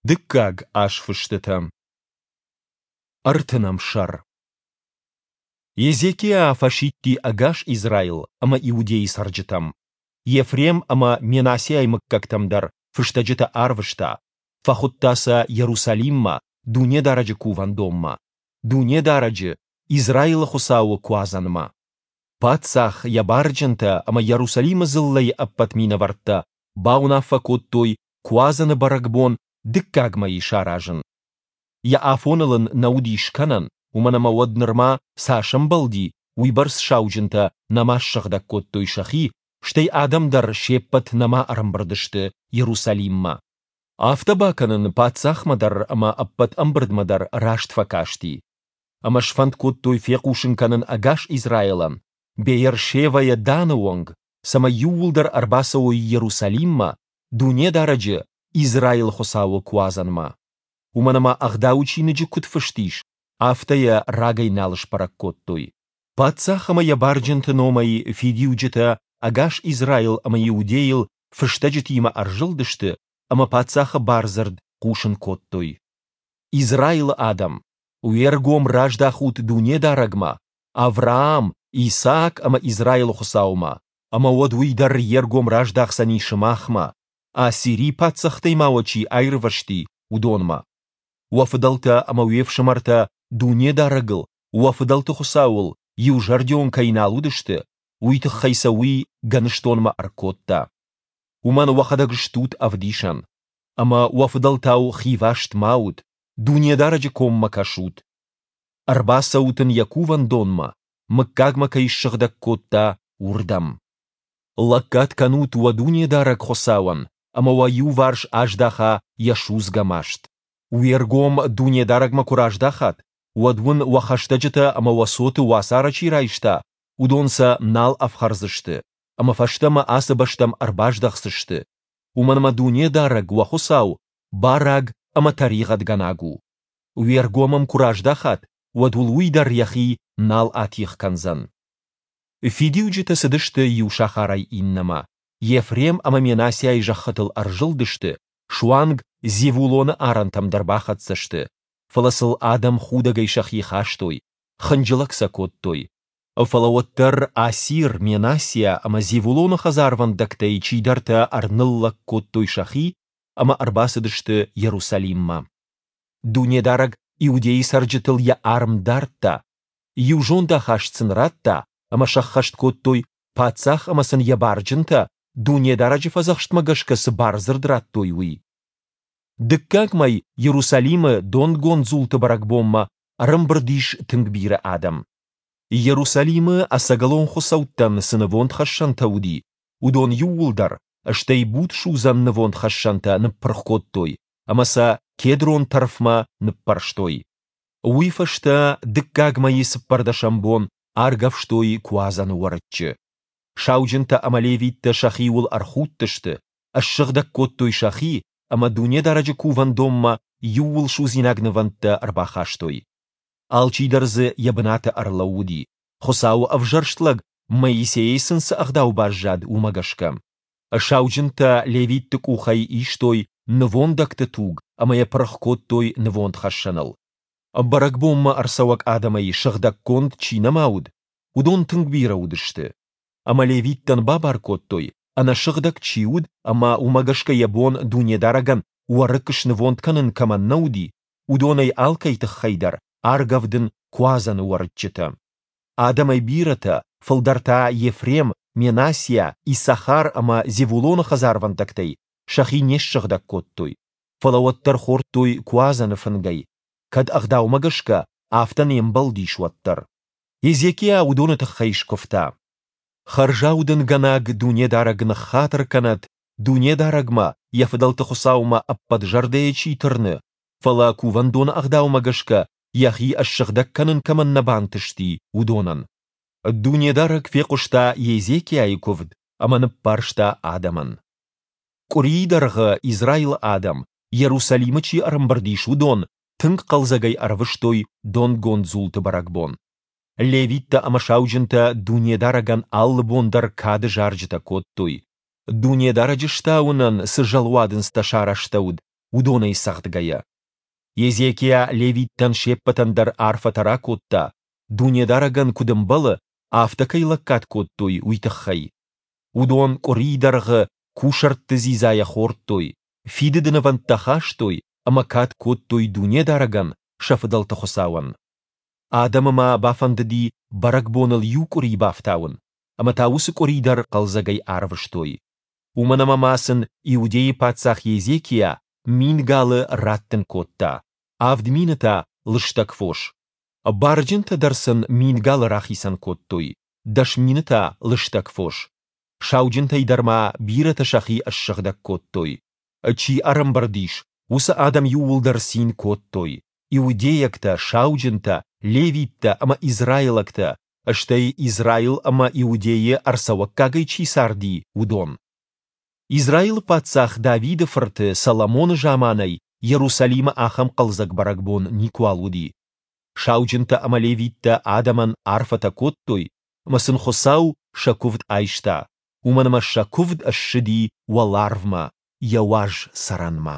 Дыккаг азфыстытӕ. Ӕртынӕм сӕр. Езекиа фӕсидти ӕгас Израил ӕмӕ Иудейы цӕрджытӕм. Ефрем ӕмӕ Менассиайы мыггӕгтӕм дӕр фыстӕджытӕ арвыста, фӕхуыдта сӕ Иерусалиммӕ, Дунедарӕджы Кувӕндонмӕ, Дунедарӕджы, Израилы Хуыцауы Куадзӕнмӕ. Паддзах, йӕ барджынтӕ ӕмӕ Иерусалимы дзыллӕйы ӕппӕт минӕвӕрттӕ бауынаффӕ кодтой Куадзӕны бӕрӕгбон дыккаг мӕйы саразын. Йӕ афоныл ын нӕ уыди скӕнӕн, уымӕн ӕмӕ уӕд нырма цас ӕмбӕлди, уыйбӕрц сауджынтӕ нӕма ссыгъдӕг кодтой сӕхи, стӕй адӕм дӕр се ппӕт нӕма ӕрӕмбырд сты Иерусалиммӕ. Афтӕ бакӕнын паддзахмӕ дӕр ӕмӕ ӕппӕт ӕмбырдмӕ дӕр раст фӕкасти. Ӕмӕ сфӕнд кодтой фехъусын кӕнын ӕгас Израилӕн, Беер-Шевӕйӕ Даны онг, цӕмӕй иууылдӕр ӕрбацӕуой Иерусалиммӕ, Дунедарӕджы, Израилы Хуыцауы Куадзӕнмӕ. Уымӕн ӕмӕ Ӕгъдауы чиныджы куыд фыст ис, афтӕ йӕ рагӕй нал сбӕрӕг кодтой. Паддзах ӕмӕ йӕ барджынты номӕй фидиуджытӕ ӕгас Израил ӕмӕ Иудейыл фыстӕджытимӕ ӕрзылдысты ӕмӕ паддзахы бардзырд хъусын кодтой. Израилы адӕм, уе ргом раздахут Дунедарӕгмӕ, Авраам, Исаак ӕмӕ Израилы Хуыцаумӕ, ӕмӕ уӕд уый дӕр йе ргом раздахдзӕни сымахмӕ, Ассирийы паддзӕхтӕй ма уӕ чи аирвӕзти, уыдонмӕ. Уӕ фыдӕлтӕ ӕмӕ уе фсымӕртӕ Дунедарӕгыл, уӕ фыдӕлты Хуыцауыл, иузӕрдион кӕй нал уыдысты, уый тыххӕй сӕ уый гӕныстонмӕ ӕркодта. Уымӕн уӕхӕдӕг стут ӕвдисӕн. Ӕмӕ уӕ фыдӕлтау хиваст ма ут, Дунедарӕджы коммӕ кӕсут. Ӕрбацӕут ын йӕ кувӕндонмӕ, мыггагмӕ кӕй ссыгъдӕг кодта, уырдӕм. Лӕггад кӕнут уӕ Дунедарӕг Хуыцауӕн, ӕмӕ уӕ иуварс аздаха йӕ судзгӕ маст. Уе ргом Дунедарӕгмӕ куы раздахат, уӕд уын уӕ хӕстӕджытӕ ӕмӕ уӕ цоты уацары чи райста, уыдон сӕ нал ӕфхӕрдзысты, ӕмӕ фӕстӕмӕ ацы бӕстӕм ӕрбаздӕхдзысты, уымӕн ӕмӕ Дунедарӕг, уӕ Хуыцау, бараг ӕмӕ тӕригъӕдгӕнаг у. Уе ргом ӕм куы раздахат, уӕд уыл уый дӕр йӕхи нал атигъ кӕндзӕн. Фидиуджытӕ цыдысты иу сахарӕй иннӕмӕ, Ефрем ӕмӕ Менассиайы зӕххытыл ӕрзылдысты, суанг Зевулоны арӕнтӕм дӕр бахӕццӕ сты, фӕлӕ сыл адӕм худӕгӕй сӕхи хастой, хынджылӕг сӕ кодтой. Фӕлӕ уӕддӕр Асир, Менассиа ӕмӕ Зевулоны хӕдзарвӕндӕгтӕй чидӕртӕ ӕрныллӕг кодтой сӕхи ӕмӕ ӕрбацыдысты Иерусалиммӕ. Дунедарӕг Иудейы цӕрджытыл йӕ арм дардта, иу зондахаст сын радта, ӕмӕ сӕххӕст кодтой, паддзах ӕмӕ сын йӕ барджынтӕ Дунедарӕджы фӕдзӕхстмӕ гӕсгӕ цы бардзырд радтой, уый. Дыккаг мӕй Иерусалимы донгонд дзулты бӕрӕгбонмӕ ӕрӕмбырд ис тынг бирӕ адӕм. Иерусалимы ӕцӕгӕлон хуыцӕуттӕн цы нывондхӕссӕнтӕ уыди, уыдон иууылдӕр, стӕй будсудзӕн нывондхӕссӕнтӕ ныппырх кодтой ӕмӕ сӕ Кедрон тӕрфмӕ ныппӕрстой. Уый фӕстӕ дыккаг мӕйы цыппӕрдӕсӕм бон аргӕвстой Куадзӕны уӕрыччы. Сауджынтӕ ӕмӕ левиттӕ сӕхиуыл ӕрхудтысты, ссыгъдӕг кодтой сӕхи ӕмӕ Дунедарӕджы кувӕндонмӕ иууылсудзинаг нывӕндтӕ ӕрбахастой. Алчидӕр дзы йӕ бынаты ӕрлӕууыди, Хуыцауы ӕвзӕрст лӕг Моисейӕ сын цы ӕгъдау баззад, уымӕ гӕсгӕ. Сауджынтӕ левитты къухӕй истой нывондӕгты туг ӕмӕ йӕ пырх кодтой нывондхӕссӕныл. Бӕрӕгбонмӕ ӕрцӕуӕг адӕмӕй сыгъдӕггонд чи нӕма уыд, уыдон тынг бирӕ уыдысты. Ӕмӕ левиттӕн бабар кодтой, ӕнӕсыгъдӕг чи уыд ӕмӕ уымӕ гӕсгӕ йӕ бон Дунедарӕгӕн уӕрыкк снывонд кӕнын кӕмӕн нӕ уыди, уыдонӕй алкӕй тыххӕй дӕр аргӕвдын Куадзӕны уӕрыччытӕ. Адӕмӕй бирӕтӕ, фылдӕр та Ефрем, Менассиа, Иссахар ӕмӕ Зевулоны хӕдзарвӕндӕгтӕй, сӕхи не ссыгъдӕг кодтой, фӕлӕ уӕддӕр хордтой Куадзӕны фынгӕй, кӕд ӕгъдаумӕ гӕсгӕ афтӕ не мбӕлдис, уӕддӕр. Езекиа уыдоны тыххӕй скуывта: Хӕрзаудӕнгӕнӕг Дунедарӕг ныххатыр кӕнӕд Дунедарӕгмӕ, йӕ фыдӕлты Хуыцаумӕ ӕппӕт зӕрдӕйӕ чи тырны, фӕлӕ кувӕндоны ӕгъдаумӕ гӕсгӕ йӕхи ссыгъдӕг кӕнын кӕмӕн нӕ бантысти, уыдонӕн. Дунедарӕг фехъуыста Езекиайы куывд ӕмӕ ныббарста адӕмӕн. Къуырийы дӕргъы Израилы адӕм, Иерусалимы чи ӕрӕмбырд ис, уыдон тынг хъӕлдзӕгӕй ӕрвыстой донгонд дзулты бӕрӕгбон. Левиттӕ ӕмӕ сауджынтӕ Дунедарӕгӕн алы бон дӕр кады зарджытӕ кодтой. Дунедарӕджы стауынӕн цы зӕлуадындзтӕ сарӕзтӕуыд, уыдонӕй цӕгъдгӕйӕ. Езекиа левиттӕн се ппӕтӕн дӕр арфӕтӕ ракодта, Дунедарӕгӕн куыд ӕмбӕлы, афтӕ кӕй лӕггад кодтой, уый тыххӕй. Уыдон къуырийы дӕргъы кусӕртты дзидзайӕ хордтой, фидыды нывӕндтӕ хастой ӕмӕ кад кодтой Дунедарӕгӕн, сӕ фыдӕлты Хуыцауӕн. Адӕмы ма бафӕндыди бӕрӕгбоныл иу къуыри бафтауын, ӕмӕ та уыцы къуыри дӕр хъӕлдзӕгӕй арвыстой. Уымӕн ӕмӕ ма сын Иудейы паддзах Езекиа 1000 галы раттын кодта, 7000 та лыстӕг фос. Барджынтӕ дӕр сын 1000 галы рахицӕн кодтой, 10,000 та лыстӕг фос. Сауджынтӕй дӕр ма бирӕтӕ сӕхи ссыгъдӕг кодтой. Чи ӕрӕмбырд ис, уыцы адӕм иууылдӕр цин кодтой, иудейӕгтӕ, сауджынтӕ, левиттӕ ӕмӕ израилӕгтӕ, стӕй Израил ӕмӕ Иудейы ӕрцӕуӕггагӕй чи царди, уыдон. Израилы паддзах Давиды фырт Соломоны заманӕй Йерусалимы ахӕм хъӕлдзӕг бӕрӕгбон никуал уыди. Сауджынтӕ ӕмӕ левиттӕ адӕмӕн арфӕтӕ кодтой, ӕмӕ сын Хуыцау сӕ куывд айста, уымӕн ӕмӕ сӕ куывд ссыди уӕларвмӕ, йӕ уаз цӕрӕнмӕ.